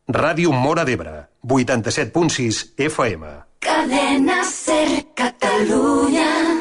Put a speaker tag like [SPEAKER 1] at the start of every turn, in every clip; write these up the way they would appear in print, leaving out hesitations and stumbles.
[SPEAKER 1] Ràdio Móra d'Ebre, 87.6 FM.
[SPEAKER 2] Cadena Ser Catalunya.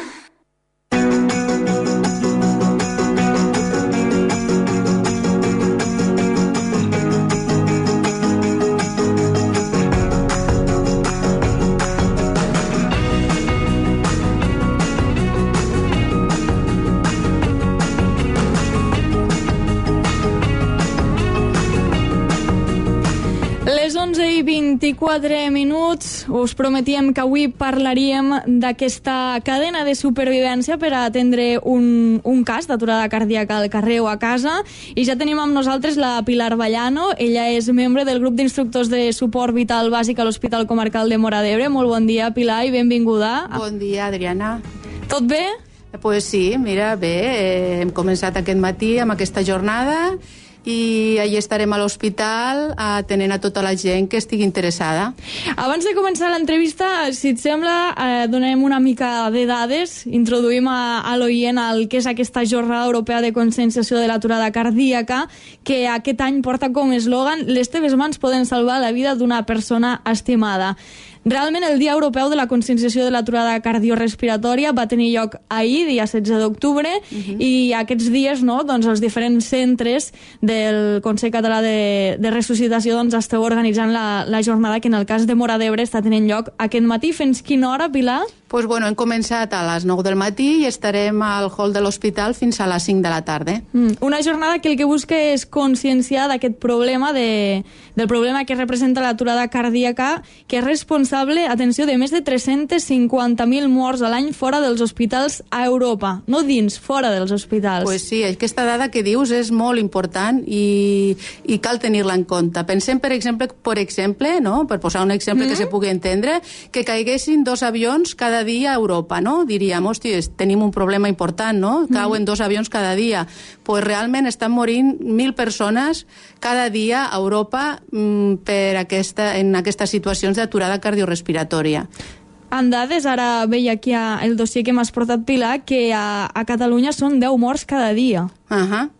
[SPEAKER 3] Les 11:24, us prometíem que avui parlaríem d'aquesta cadena de supervivència per a atendre un cas d'aturada cardíaca al carrer o a casa, i ja tenim amb nosaltres la Pilar Vallano. Ella és membre del grup d'instructors de suport vital bàsic a l'Hospital Comarcal de Móra d'Ebre. Molt bon dia, Pilar, i benvinguda.
[SPEAKER 4] Bon dia, Adriana.
[SPEAKER 3] Tot bé?
[SPEAKER 4] Pues sí, mira, bé, hem començat aquest matí amb aquesta jornada i allà estarem a l'hospital atenent a tota la gent que estigui interessada.
[SPEAKER 3] Abans de començar l'entrevista, si et sembla, donem una mica de dades, introduïm a l'oient el que és aquesta jornada europea de conscienciació de l'aturada cardíaca, que aquest any porta com a eslògan "Les teves mans poden salvar la vida d'una persona estimada". Realment, el Dia Europeu de la Conscienciació de l'Aturada Cardiorespiratòria va tenir lloc ahir, dia 16 d'octubre, i aquests dies, no, doncs, els diferents centres del Consell Català de Resuscitació doncs, esteu organitzant la jornada que en el cas de Móra d'Ebre està tenint lloc aquest matí. Fins quina hora, Pilar?
[SPEAKER 4] Pues bueno, hem començat a les 9 del matí i estarem al hall de l'hospital fins a les 5 de la tarda.
[SPEAKER 3] Una jornada que el que busca és conscienciar d'aquest problema, del problema que representa l'aturada cardíaca, que és responsable, atenció, de més de 350.000 morts a l'any fora dels hospitals a Europa. No dins, fora dels hospitals.
[SPEAKER 4] Pues sí, aquesta dada que dius és molt important i cal tenir-la en compte. Pensem, per exemple, no? Per posar un exemple que se pugui entendre, que caiguessin 2 avions cada dia a Europa, no? Diríem, hòstia, tenim un problema important, no? Cauen 2 avions cada dia. Pues realment estan morint 1.000 persones cada dia a Europa en aquestes situacions d'aturada cardiorespiratòria.
[SPEAKER 3] En dades, ara veia aquí el dossier que m'has portat, Pilar, que a Catalunya són 10 morts cada dia.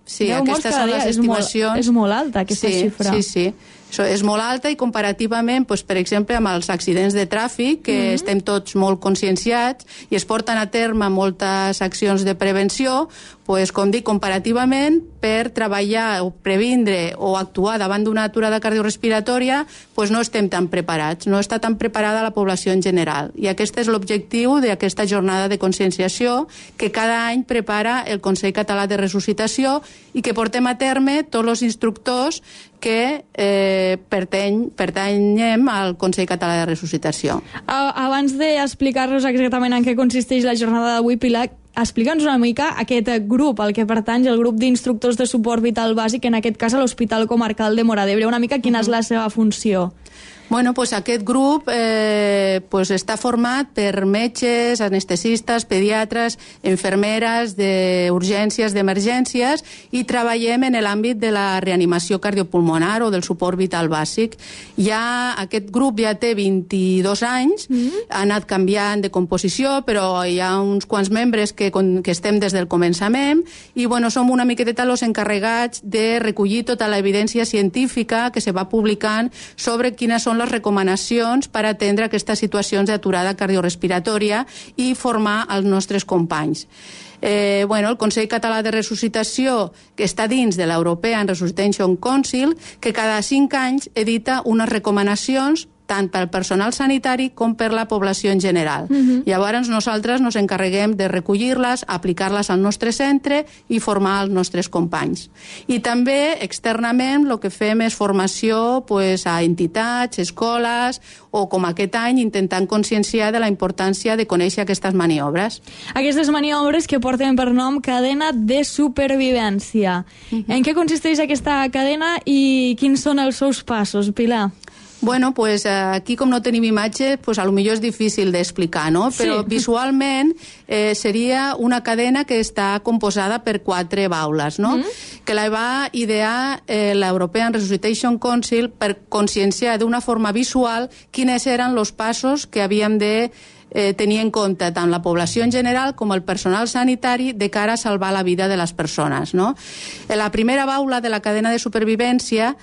[SPEAKER 4] Sí, aquestes són les estimacions.
[SPEAKER 3] És molt alta, aquesta xifra.
[SPEAKER 4] Sí. És molt alta i comparativament, per exemple, amb els accidents de tràfic, que estem tots molt conscienciats i es porten a terme moltes accions de prevenció, com dic, comparativament, per treballar o previndre o actuar davant d'una aturada cardiorespiratòria, no estem tan preparats, no està tan preparada la població en general. I aquest és l'objectiu d'aquesta jornada de conscienciació que cada any prepara el Consell Català de Resuscitació i que portem a terme tots els instructors que pertanyem al Consell Català de Resuscitació.
[SPEAKER 3] Abans d'explicar-nos exactament en què consisteix la jornada d'avui, Pilar, explica'ns una mica aquest grup al que pertany, el grup d'instructors de suport vital bàsic, en aquest cas a l'Hospital Comarcal de Móra d'Ebre. Una mica quina és la seva funció?
[SPEAKER 4] Bueno, aquest grup està format per metges, anestesistes, pediatres, infermeres d'urgències, d'emergències, i treballem en l'àmbit de la reanimació cardiopulmonar o del suport vital bàsic. Aquest grup ja té 22 anys, ha anat canviant de composició, però hi ha uns quants membres que estem des del començament i som una miqueta els encarregats de recollir tota l'evidència científica que se va publicant sobre quines són les recomanacions per atendre aquestes situacions d'aturada cardiorespiratòria i formar els nostres companys. El Consell Català de Resuscitació, que està dins de l'European Resuscitation Council, que cada 5 anys edita unes recomanacions tant pel personal sanitari com per la població en general. Llavors nosaltres ens encarreguem de recollir-les, aplicar-les al nostre centre i formar els nostres companys. I també externament el que fem és formació a entitats, escoles, o com aquest any intentant conscienciar de la importància de conèixer aquestes maniobres.
[SPEAKER 3] Aquestes maniobres que porten per nom cadena de supervivència. En què consisteix aquesta cadena i quins són els seus passos, Pilar?
[SPEAKER 4] Aquí com no tenim imatge, potser és difícil d'explicar, no? Però visualment seria una cadena que està composada per 4 baules, no? Que la va idear l'European Resuscitation Council per conscienciar d'una forma visual quins eren els passos que havíem de tenir en compte tant la població en general com el personal sanitari de cara a salvar la vida de les persones, no? La primera baula de la cadena de supervivència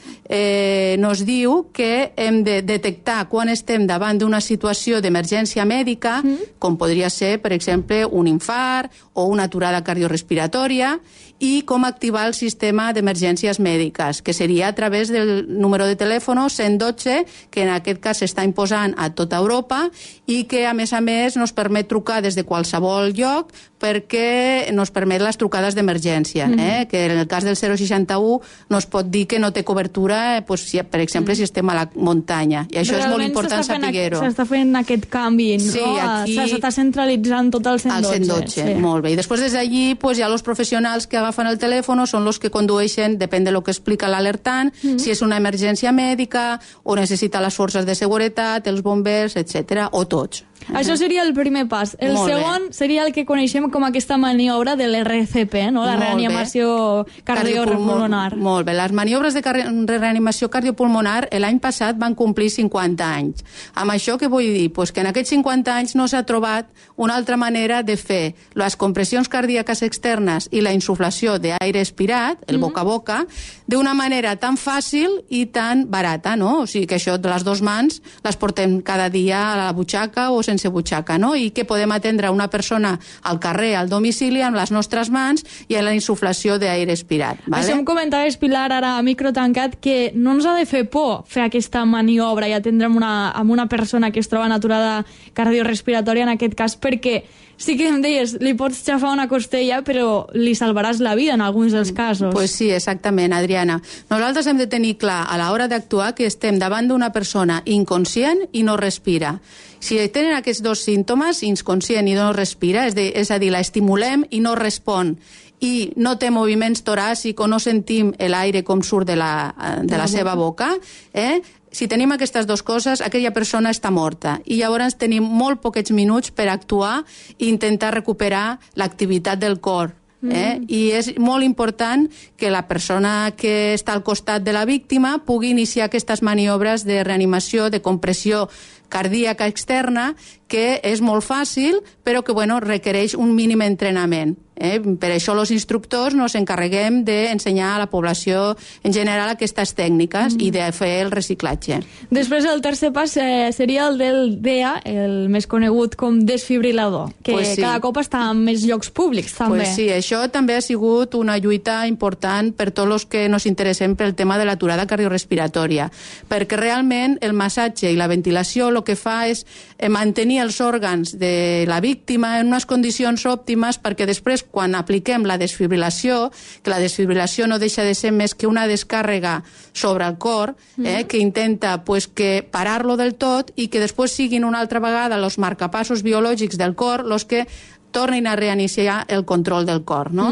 [SPEAKER 4] nos diu que hem de detectar quan estem davant d'una situació d'emergència mèdica, com podria ser, per exemple, un infart o una aturada cardiorrespiratòria, i com activar el sistema d'emergències mèdiques, que seria a través del número de telèfon 112, que en aquest cas s'està imposant a tota Europa i que, a més, nos permet trucar des de qualsevol lloc perquè nos permet les trucades d'emergència, que en el cas del 061 no es pot dir que no té cobertura, per exemple, si estem a la muntanya. I això és molt important saber-ho.
[SPEAKER 3] S'està fent aquest canvi, no?
[SPEAKER 4] Sí, aquí...
[SPEAKER 3] S'està centralitzant tot el 112.
[SPEAKER 4] El 112, sí. Molt bé. I després des d'allí ja els professionals que agafen el telèfon són els que condueixen, depèn de lo que explica l'alertant, si és una emergència mèdica o necessita les forces de seguretat, els bombers, etc., o tots.
[SPEAKER 3] Això seria el primer pas. El segon seria el que coneixem com aquesta maniobra de l'RCP, no? La reanimació cardiopulmonar.
[SPEAKER 4] Molt bé. Les maniobres de reanimació cardiopulmonar l'any passat van complir 50 anys. Amb això què vull dir? Pues que en aquests 50 anys no s'ha trobat una altra manera de fer les compressions cardíaques externes i la insuflació d'aire expirat, el boca a boca, d'una manera tan fàcil i tan barata, no? O sigui que això de les dues mans les portem cada dia a la butxaca o sense butxaca, no? I que podem atendre una persona al carrer, al domicili, amb les nostres mans i amb la insuflació d'aire expirat. Vale?
[SPEAKER 3] Això em comentaves, Pilar, ara a micro tancat, que no ens ha de fer por fer aquesta maniobra i atendre amb una persona que es troba en aturada cardiorrespiratòria, en aquest cas, perquè sí que em deies, li pots xafar una costella, però li salvaràs la vida en alguns dels casos.
[SPEAKER 4] Pues sí, exactament, Adriana. Nosaltres hem de tenir clar a l'hora d'actuar que estem davant d'una persona inconscient i no respira. Si tenen aquests dos símptomes, inconscient i no respira, és a dir, l'estimulem i no respon, i no té moviments toràcics o no sentim l'aire com surt de la seva boca, si tenim aquestes dues coses, aquella persona està morta. I llavors tenim molt poquets minuts per actuar i intentar recuperar l'activitat del cor. I és molt important que la persona que està al costat de la víctima pugui iniciar aquestes maniobres de reanimació, de compressió cardíaca externa, que és molt fàcil, però que requereix un mínim entrenament. Per això els instructors nos encarreguem d'ensenyar a la població en general aquestes tècniques i de fer el reciclatge.
[SPEAKER 3] Després el tercer pas seria el del DEA, el més conegut com desfibrilador, que cada cop està en més llocs públics també.
[SPEAKER 4] Sí, això també ha sigut una lluita important per tots els que nos interessem pel tema de l'aturada cardiorrespiratòria, perquè realment el massatge i la ventilació el que fa és mantenir els òrgans de la víctima en unes condicions òptimes perquè després, quan apliquem la desfibrilació, que la desfibrilació no deixa de ser més que una descàrrega sobre el cor, que intenta que parar-lo del tot i que després siguin una altra vegada els marcapassos biològics del cor els que tornin a reiniciar el control del cor, no?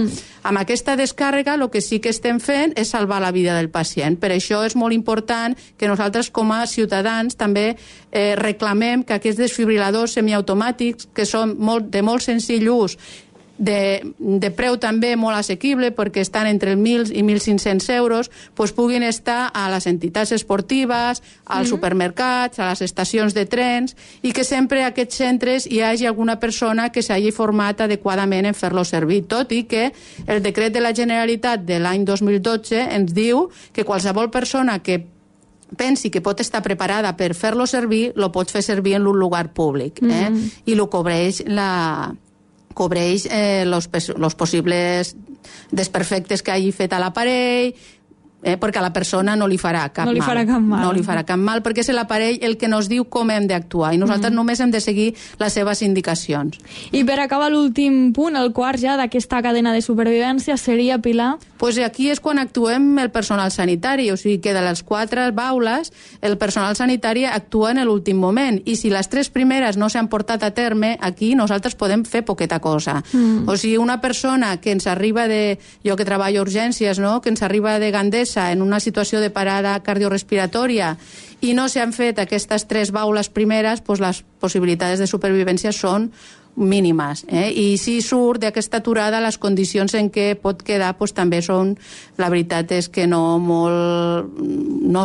[SPEAKER 4] Amb aquesta descàrrega el que sí que estem fent és salvar la vida del pacient. Per això és molt important que nosaltres com a ciutadans també reclamem que aquests desfibriladors semiautomàtics, que són de molt senzill ús, de preu també molt assequible perquè estan entre 1.000 i 1.500 euros, puguin estar a les entitats esportives, als supermercats, a les estacions de trens, i que sempre a aquests centres hi hagi alguna persona que s'hagi format adequadament en fer-lo servir, tot i que el decret de la Generalitat de l'any 2012 ens diu que qualsevol persona que pensi que pot estar preparada per fer-lo servir, lo pot fer servir en un lugar públic, i lo cobreix els possibles desperfectes que hagi fet a l'aparell, perquè a la persona no li farà cap mal. No li farà cap mal, perquè és l'aparell el que nos diu com hem d'actuar, i nosaltres només hem de seguir les seves indicacions.
[SPEAKER 3] I per acabar l'últim punt, el quart ja d'aquesta cadena de supervivència, seria, Pilar?
[SPEAKER 4] Aquí és quan actuem el personal sanitari, o sigui que de les 4 baules el personal sanitari actua en l'últim moment, i si les 3 primeres no s'han portat a terme, aquí nosaltres podem fer poqueta cosa. O sigui, una persona que ens arriba jo que treballo a urgències, no?, que ens arriba de Gandesa en una situació de parada cardiorrespiratòria i no s'han fet aquestes 3 baules primeres, les possibilitats de supervivència són mínimes. I si surt d'aquesta aturada, les condicions en què pot quedar pues, també són, la veritat és que no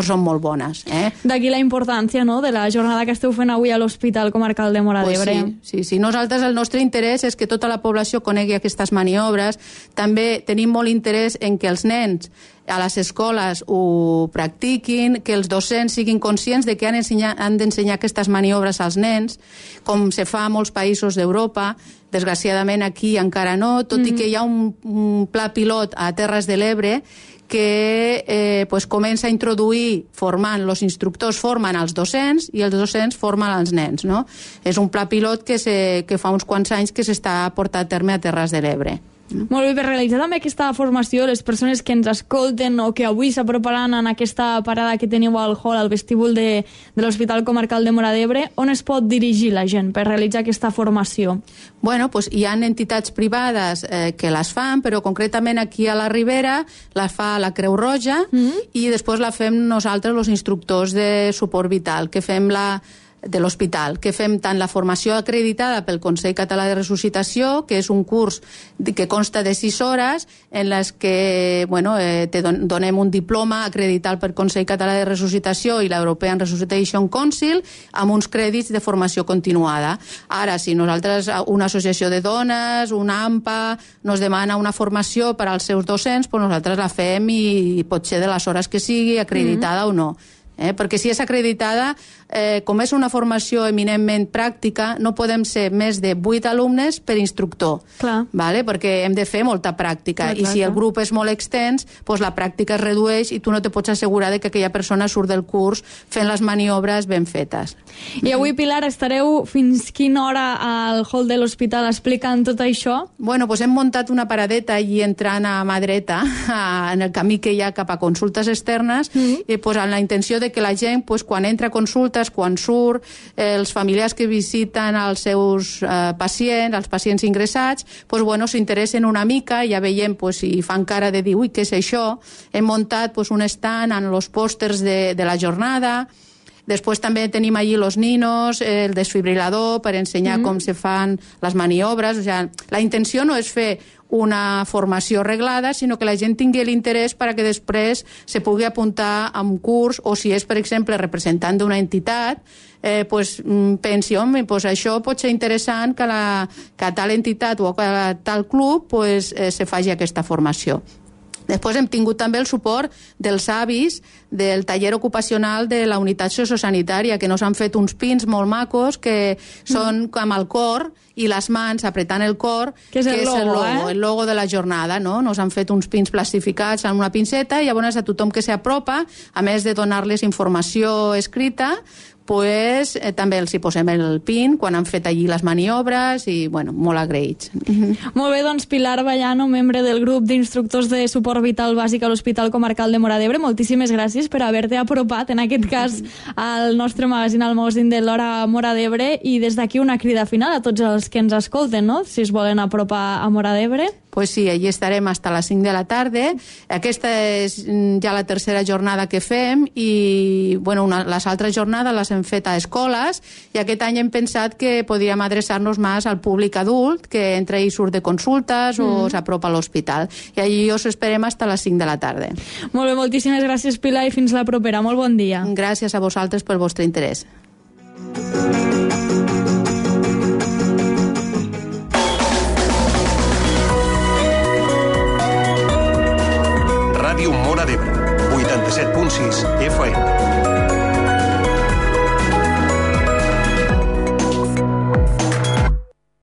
[SPEAKER 4] són molt bones.
[SPEAKER 3] D'aquí la importància, no?, de la jornada que esteu fent avui a l'Hospital Comarcal de Móra d'Ebre.
[SPEAKER 4] Pues sí. Nosaltres, el nostre interès és que tota la població conegui aquestes maniobres. També tenim molt interès en que els nens a les escoles ho practiquin, que els docents siguin conscients de que han d'ensenyar aquestes maniobres als nens, com se fa a molts països d'Europa. Desgraciadament aquí encara no, tot i que hi ha un pla pilot a Terres de l'Ebre que pues, comença a introduir els instructors formen els docents i els docents formen els nens. No? És un pla pilot que fa uns quants anys que s'està portant a terme a Terres de l'Ebre.
[SPEAKER 3] Molt bé, per realitzar també aquesta formació, les persones que ens escolten o que avui s'aproparan en aquesta parada que teniu al hall, al vestíbul de l'Hospital Comarcal de Móra d'Ebre, on es pot dirigir la gent per realitzar aquesta formació?
[SPEAKER 4] Bueno, pues hi ha entitats privades que les fan, però concretament aquí a la Ribera la fa la Creu Roja i després la fem nosaltres, els instructors de suport vital, que fem de l'hospital, que fem tant la formació acreditada pel Consell Català de Resuscitació, que és un curs que consta de 6 hores, en les que donem un diploma acreditat pel Consell Català de Resuscitació i l'European Resuscitation Council, amb uns crèdits de formació continuada. Ara, si nosaltres, una associació de dones, una AMPA, nos demana una formació per als seus docents, pues nosaltres la fem i pot ser de les hores que sigui, acreditada o no. Perquè si és acreditada, com és una formació eminentment pràctica, no podem ser més de 8 alumnes per instructor, vale? Perquè hem de fer molta pràctica, i si el grup és molt extens, doncs la pràctica es redueix i tu no te pots assegurar de que aquella persona surt del curs fent les maniobres ben fetes.
[SPEAKER 3] I avui, Pilar, estareu fins quina hora al hall de l'hospital explicant tot això?
[SPEAKER 4] Bueno, doncs hem muntat una paradeta allí entrant a mà dreta, en el camí que hi ha cap a consultes externes, i doncs amb la intenció de que la gent, quan entra a consultes, quan surt, els familiars que visiten els seus pacients, els pacients ingressats, s'interessen una mica, ja veiem si fan cara de dir, ui, què és això? Hem muntat un stand amb els pòsters de la jornada. Després també tenim allí els ninos, el desfibrilador per ensenyar com se fan les maniobres. La intenció no és fer una formació reglada, sinó que la gent tingui l'interès perquè després se pugui apuntar a un curs, o si és, per exemple, representant d'una entitat, pensi, home, això pot ser interessant que a tal entitat o a tal club se faci aquesta formació. Després hem tingut també el suport dels avis del taller ocupacional de la unitat sociosanitària, que nos han fet uns pins molt macos que són amb el cor i les mans apretant el cor,
[SPEAKER 3] que és el
[SPEAKER 4] logo de la jornada, no? Nos han fet uns pins plastificats amb una pinceta i llavors a tothom que s'apropa, a més de donar-les informació escrita, també els hi posem el pin quan han fet allí les maniobres i, molt agraïts.
[SPEAKER 3] Molt bé, doncs Pilar Vallano, membre del grup d'instructors de suport vital bàsic a l'Hospital Comarcal de Móra d'Ebre, moltíssimes gràcies per haver-te apropat, en aquest cas, al nostre magazín, al magazín de l'Hora Móra d'Ebre, i des d'aquí una crida final a tots els que ens escolten, no?, si es volen apropar a Móra d'Ebre.
[SPEAKER 4] Pues sí, allí estarem fins a les 5 de la tarda. Aquesta és ja la tercera jornada que fem i les altres jornades les hem fet a escoles i aquest any hem pensat que podríem adreçar-nos més al públic adult que entra i surt de consultes o s'apropa a l'hospital. I allí us esperem fins a les 5 de la tarda.
[SPEAKER 3] Molt bé, moltíssimes gràcies, Pilar, i fins la propera. Molt bon dia.
[SPEAKER 4] Gràcies a vosaltres pel vostre interès.
[SPEAKER 1] Ràdio Móra d'Ebre, 87.6 FM.